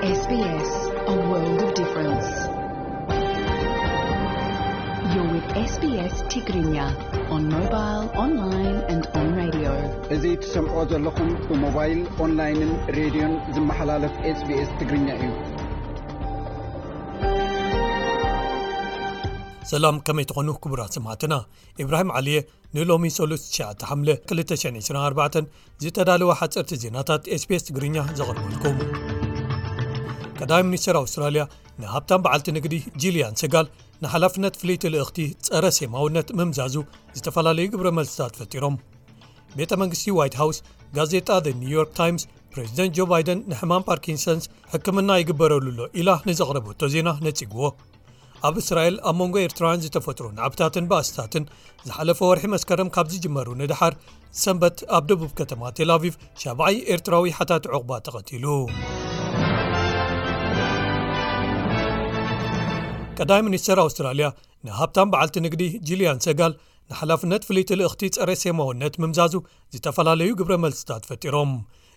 S B S, a world of difference. You're with S B S Tigrinya on mobile, online and on radio. እዚ ትሰምዖ ዘለኹም ብሞባይል፣ ኦንላይንን ሬድዮን ዝመሓላለፍ SBS ትግርኛ እዩ። ሰላም፣ ከመይ ትኾኑ ክቡራት ሰማዕትና? ኢብራሂም ዓሊየ ንሎሚ ሰሉስ ትሽዓተ ሓምለ ክልተ ሽሕን ዕስራን ኣርባዕተን ዝተዳለወ ሓጸርቲ ዜናታት SBS ትግርኛ ዘቕርበልኩም። ቀዳማይ ሚኒስትር ኣውስትራልያ ንሃብታም በዓልቲ ንግዲ ጂልያን ሰጋል ንሓላፍነት ፍልይቲ ልእኽቲ ጸረ ሴማውነት ምምዛዙ ዝተፈላለዩ ግብረ መልስታት ፈጢሮም። ቤተ መንግስቲ ዋይት ሃውስ፣ ጋዜጣ The New York Times፣ ፕሬዚደንት ጆ ባይደን ንሕማም ፓርኪንሰንስ ሕክምና ይግበረሉ ኣሎ ኢላ ንዘቕረበቶ ዜና ነጺግዎ። ኣብ እስራኤል ኣብ መንጎ ኤርትራውያን ዝተፈጥሩ ናዕብታትን ባእስታትን ዝሓለፈ ወርሒ መስከረም ካብ ዝጅመሩ ንደሓር፣ ሰንበት ኣብ ደቡብ ከተማ ቴል ኣቪቭ ሻብዓይ ኤርትራዊ ሓታቲ ዑቕባ ተቐቲሉ። ቀዳማይ ሚኒስተር ኣውስትራልያ ንሃብታም በዓልቲ ንግዲ ጂልያን ሰጋል ንሓላፍነት ፍልይቲ ልእኽቲ ጸረ ሴማውነት ምምዛዙ ዝተፈላለዩ ግብረ መልስታት ፈጢሮም።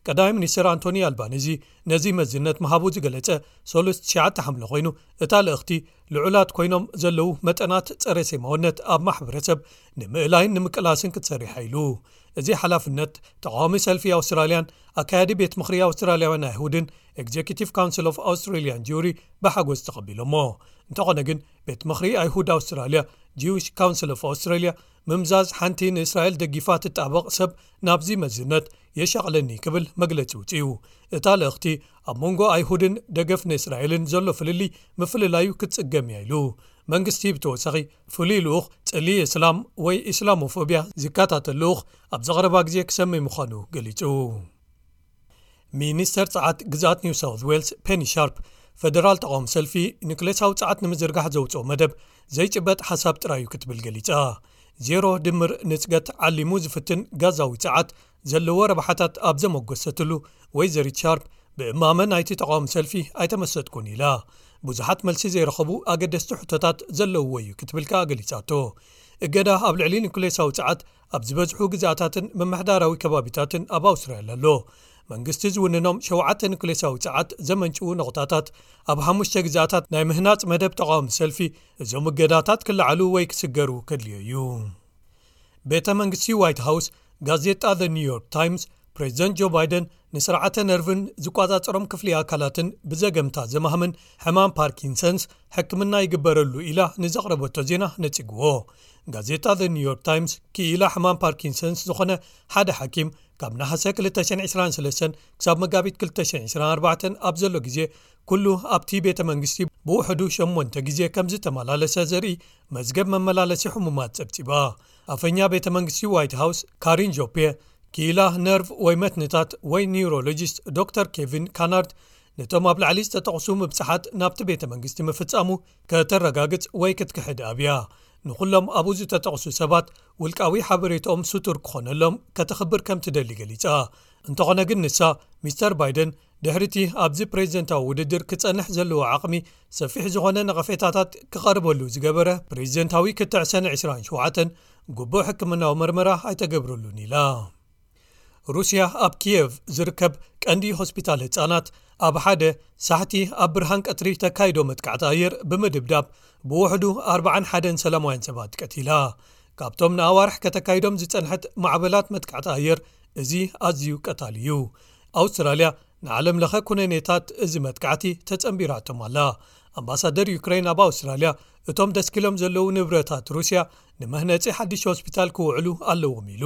ቀዳማይ ሚኒስተር ኣንቶኒ ኣልባኒዚ ነዚ መዝነት ምሃቡ ዝገለጸ ሰሉስ ትሽዓተ ሓምለ ኮይኑ፣ እታ ልእኽቲ ልዑላት ኮይኖም ዘለዉ መጠናት ጸረ ሴማውነት ኣብ ማሕበረሰብ ንምእላይን ንምቅላስን ክትሰርሕ ኢሉ። እዚ ሓላፍነት ተቃዋሚ ሰልፊ ኣውስትራልያን ኣካያዲ ቤት ምኽሪ ኣውስትራልያውያን ኣይሁድን፣ ኤግዜኪቲቭ ካውንስል ኦፍ ኣውስትራልያን ጁሪ፣ ብሓጎስ ተቐቢሎሞ። እንተኾነ ግን፣ ቤት ምኽሪ ኣይሁድ ኣውስትራልያ፣ ጂዊሽ ካውንስል ኦፍ ኣውስትራልያ፣ ምምዛዝ ሓንቲ ንእስራኤል ደጊፋ ትጣበቕ ሰብ ናብዚ መዝነት የሻቕለኒ ክብል መግለጺ ውጽኡ። እታ ልእኽቲ ኣብ መንጎ ኣይሁድን ደገፍ ንእስራኤልን ዘሎ ፍልልይ ምፍልላዩ ክትጽገም እያ ኢሉ። መንግስቲ ብተወሳኺ ፍሉይ ልኡኽ ጽልኢ እስላም ወይ ኢስላሞፎብያ ዝከታተል ልኡኽ ኣብ ዘቕረባ ግዜ ክሰሚ ምዃኑ ገሊጹ። ሚኒስተር ጸዓት ግዝኣት ኒው ሳውት ዌልስ ፔኒ ሻርፕ፣ ፈደራል ተቃውሞ ሰልፊ ኒክሌሳዊ ጸዓት ንምዝርጋሕ ዘውጽኦ መደብ ዘይጭበጥ ሓሳብ ጥራይ እዩ ክትብል ገሊጻ። ዜሮ ድምር ንጽገት ዓሊሙ ዝፍትን ጋዛዊ ጸዓት ዘለዎ ረብሓታት ኣብ ዘመጎሰትሉ፣ ወይዘሪት ሻርፕ ብእማመ ናይቲ ተቃውሞ ሰልፊ ኣይተመሰጥኩን ኢላ። ብዙሓት መልሲ ዘይረኸቡ ኣገደስቲ ሕቶታት ዘለውዎ እዩ ክትብል ከኣ ገሊጻቶ። እገዳ ኣብ ልዕሊ ኒኩሌሳዊ ጸዓት ኣብ ዝበዝሑ ግዝኣታትን ምምሕዳራዊ ከባቢታትን ኣብ ኣውስትራልያ ኣሎ። መንግስቲ ዝውንኖም ሸውዓተ ኒኩሌሳዊ ጸዓት ዘመንጭዉ ነቑጣታት ኣብ ሓሙሽተ ግዝኣታት ናይ ምህናጽ መደብ ተቃውሞ ሰልፊ፣ እዞም እገዳታት ክለዓሉ ወይ ክስገሩ ከድልዮ እዩ። ቤተ መንግስቲ ዋይት ሃውስ፣ ጋዜጣ ዘ ኒውዮርክ ታይምስ፣ ፕሬዚደንት ጆ ባይደን ንስርዓተ ነርቭን ዝቆጻጸሮም ክፍሊ ኣካላትን ብዘገምታ ዘማህምን ሕማም ፓርኪንሰንስ ሕክምና ይግበረሉ ኢላ ንዘቕረበቶ ዜና ነጺግዎ። ጋዜጣ ዘ ኒውዮርክ ታይምስ፣ ክኢላ ሕማም ፓርኪንሰንስ ዝኾነ ሓደ ሓኪም፣ ካብ ነሓሰ ክልተ ሽሕን ዕስራን ሰለስተን ክሳብ መጋቢት ክልተ ሽሕን ዕስራን ኣርባዕተን ኣብ ዘሎ ግዜ፣ ኩሉ ኣብቲ ቤተ መንግስቲ ብውሕዱ ሸሞንተ ግዜ ከም ዝተመላለሰ ዘርኢ መዝገብ መመላለሲ ሕሙማት ጸብጺባ። ኣፈኛ ቤተ መንግስቲ ዋይት ሃውስ ካሪን ጆፔ፣ ክኢላ ነርቭ ወይ መትንታት ወይ ኒውሮሎጂስት ዶክተር ኬቪን ካናርድ፣ ነቶም ኣብ ላዕሊ ዝተጠቕሱ ምብጻሓት ናብቲ ቤተ መንግስቲ ምፍጻሙ ከተረጋግጽ ወይ ክትክሕድ ኣብያ። ንኹሎም ኣብኡ ዝተጠቕሱ ሰባት ውልቃዊ ሓበሬታኦም ስቱር ክኾነሎም ከተኽብር ከም ትደሊ ገሊጻ። እንተኾነ ግን ንሳ፣ ሚስተር ባይደን ድሕሪቲ ኣብዚ ፕሬዚደንታዊ ውድድር ክጸንሕ ዘለዎ ዓቕሚ ሰፊሕ ዝኾነ ነቐፌታታት ክቐርበሉ ዝገበረ ፕሬዚደንታዊ ክትዕ ሰነ ዕስራን ሸውዓተን፣ ግቡእ ሕክምናዊ መርመራ ኣይተገብረሉን ኢላ። ሩስያ ኣብ ኪየቭ ዝርከብ ቀንዲ ሆስፒታል ህጻናት ኣብ ሓደ ሳሕቲ ኣብ ብርሃን ቀትሪ ተካይዶ መጥቃዕቲ ኣየር ብምድብዳብ ብውሕዱ ኣርባዓን ሓደን ሰላማውያን ሰባት ቀቲላ። ካብቶም ንኣዋርሕ ከተካይዶም ዝጸንሐት ማዕበላት መጥቃዕቲ ኣየር፣ እዚ ኣዝዩ ቀታሊ እዩ። ኣውስትራልያ ንዓለም ለኸ ኩነኔታት እዚ መጥቃዕቲ ተጸንቢራቶም ኣላ። ኣምባሳደር ዩክሬን ኣብ ኣውስትራልያ፣ እቶም ደስኪሎም ዘለዉ ንብረታት ሩስያ ንመህነጺ ሓድሽ ሆስፒታል ክውዕሉ ኣለዎም ኢሉ።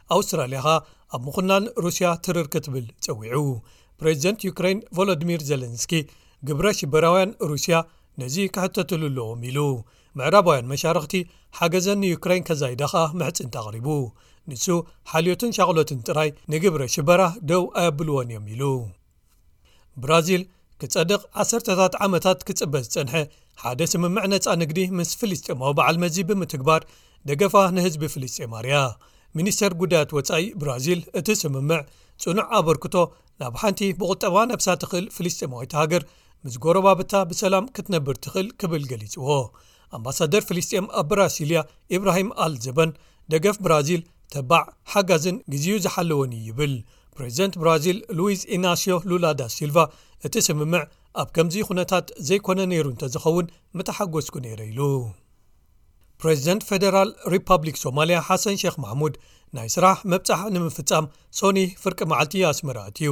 ኣውስትራልያ ኸኣ ኣብ ምኹናን ሩስያ ትርር ክትብል ጸዊዑ። ፕሬዚደንት ዩክሬን ቮሎዲሚር ዜለንስኪ፣ ግብረ ሽበራውያን ሩስያ ነዚ ክሕተትሉ ኣለዎም ኢሉ። ምዕራባውያን መሻርኽቲ ሓገዘን ንዩክሬን ከዛይዳ ኸኣ ምሕጽንታ ኣቕሪቡ። ንሱ፣ ሓልዮትን ሻቕሎትን ጥራይ ንግብረ ሽበራ ደው ኣየብልዎን እዮም ኢሉ። ብራዚል፣ ክጸድቕ ዓሰርተታት ዓመታት ክጽበ ዝጸንሐ ሓደ ስምምዕ ነጻ ንግዲ ምስ ፍልስጤማዊ በዓል መዚ ብምትግባር፣ ደገፋ ንህዝቢ ፍልስጤም ኣርያ። ሚኒስተር ጉዳያት ወጻኢ ብራዚል፣ እቲ ስምምዕ ጽኑዕ ኣበርክቶ ናብ ሓንቲ ብቑጠባ ነብሳ ትኽእል ፍልስጤማዊት ሃገር ምስ ጎረባብታ ብሰላም ክትነብር ትኽእል ክብል ገሊጽዎ። ኣምባሳደር ፍልስጤም ኣብ ብራሲልያ፣ ኢብራሂም ኣል ዘበን፣ ደገፍ ብራዚል ተባዕ፣ ሓጋዝን ግዜኡ ዝሓለወን እዩ ይብል። ፕሬዚደንት ብራዚል ሉዊዝ ኢናሲዮ ሉላ ዳ ሲልቫ እቲ ስምምዕ ኣብ ከምዚ ኩነታት ዘይኮነ ነይሩ እንተዝኸውን ምተሓጎስኩ ነይረ ኢሉ። ፕሬዚደንት ፌደራል ሪፐብሊክ ሶማልያ ሓሰን ሼክ ማሕሙድ ናይ ስራሕ መብጻሕ ንምፍጻም ሶኒ ፍርቂ መዓልቲ ኣስመራ ኣትዩ።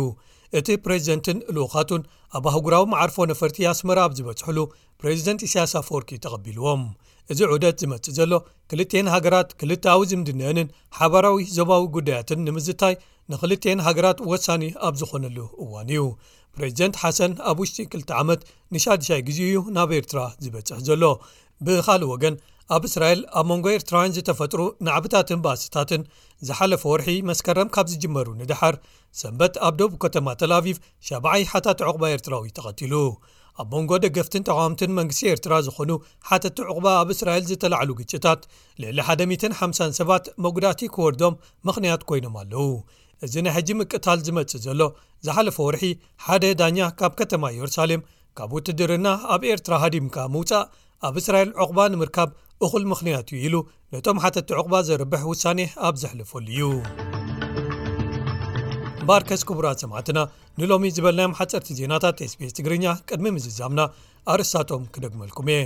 እቲ ፕሬዚደንትን ልኡኻቱን ኣብ ኣህጉራዊ መዓርፎ ነፈርቲ ኣስመራ ኣብ ዝበጽሕሉ ፕሬዚደንት ኢሳያስ ኣፈወርቂ ተቐቢልዎም። እዚ ዑደት ዝመጽእ ዘሎ ክልቲኤን ሃገራት ክልተኣዊ ዝምድነአንን ሓባራዊ ዞባዊ ጉዳያትን ንምዝታይ ንክልቲኤን ሃገራት ወሳኒ ኣብ ዝኾነሉ እዋን እዩ። ፕሬዚደንት ሓሰን ኣብ ውሽጢ ክልተ ዓመት ንሻድሻይ ግዜኡ እዩ ናብ ኤርትራ ዝበጽሕ ዘሎ። ብኻልእ ወገን ኣብ እስራኤል ኣብ መንጎ ኤርትራውያን ዝተፈጥሩ ናዕብታትን ባእስታትን ዝሓለፈ ወርሒ መስከረም ካብ ዝጅመሩ ንደሓር ሰንበት ኣብ ደቡብ ከተማ ተልኣቪቭ ሻብዓይ ሓታቲ ዕቑባ ኤርትራዊ ተቐቲሉ። ኣብ መንጎ ደገፍትን ተቓወምትን መንግስቲ ኤርትራ ዝኾኑ ሓተቲ ዕቑባ ኣብ እስራኤል ዝተላዕሉ ግጭታት ልዕሊ ሓደ ሚእትን ሓምሳን ሰባት መጉዳእቲ ክወርዶም ምኽንያት ኮይኖም ኣለዉ። እዚ ናይ ሕጂ ምቅታል ዝመጽእ ዘሎ ዝሓለፈ ወርሒ ሓደ ዳኛ ካብ ከተማ ኢየሩሳሌም ካብ ውትድርና ኣብ ኤርትራ ሃዲምካ ምውጻእ ኣብ እስራኤል ዕቑባ ንምርካብ እኹል ምኽንያት እዩ ኢሉ ነቶም ሓተቲ ዕቑባ ዘርብሕ ውሳኔ ኣብ ዘሕለፈሉ እዩ። እምበኣርከስ ክቡራት ሰማዕትና ንሎሚ ዝበልናዮም ሓጸርቲ ዜናታት ኤስቢኤስ ትግርኛ ቅድሚ ምዝዛምና ኣርእስታቶም ክደግመልኩም እየ።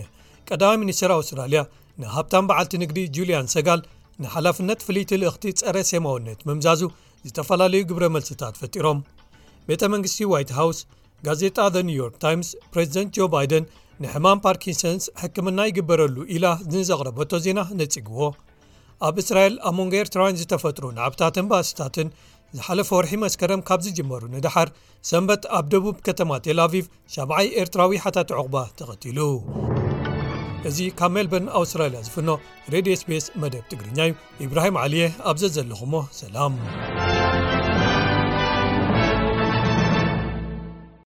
ቀዳማይ ሚኒስትር ኣውስትራልያ ንሃብታም በዓልቲ ንግዲ ጁልያን ሰጋል ንሓላፍነት ፍልይቲ ልእኽቲ ጸረ ሴማውነት ምምዛዙ ዝተፈላለዩ ግብረ መልስታት ፈጢሮም። ቤተ መንግስቲ ዋይት ሃውስ ጋዜጣ ዘ ኒውዮርክ ታይምስ ፕሬዚደንት ጆ ባይደን ንሕማም ፓርኪንሰንስ ሕክምና ይግበረሉ ኢላ ንዘቕረበቶ ዜና ነጺግዎ። ኣብ እስራኤል ኣብ መንጎ ኤርትራውያን ዝተፈጥሩ ናዕብታትን ባእስታትን ዝሓለፈ ወርሒ መስከረም ካብ ዝጅመሩ ንደሓር ሰንበት ኣብ ደቡብ ከተማ ቴል ኣቪቭ ሻብዓይ ኤርትራዊ ሓታቲ ዕቑባ ተቐቲሉ። እዚ ካብ ሜልበርን ኣውስትራልያ ዝፍኖ ሬድዮ ኤስቢኤስ መደብ ትግርኛ እዩ። ኢብራሂም ዓሊየ ኣብ ዘዘለኹሞ ሰላም።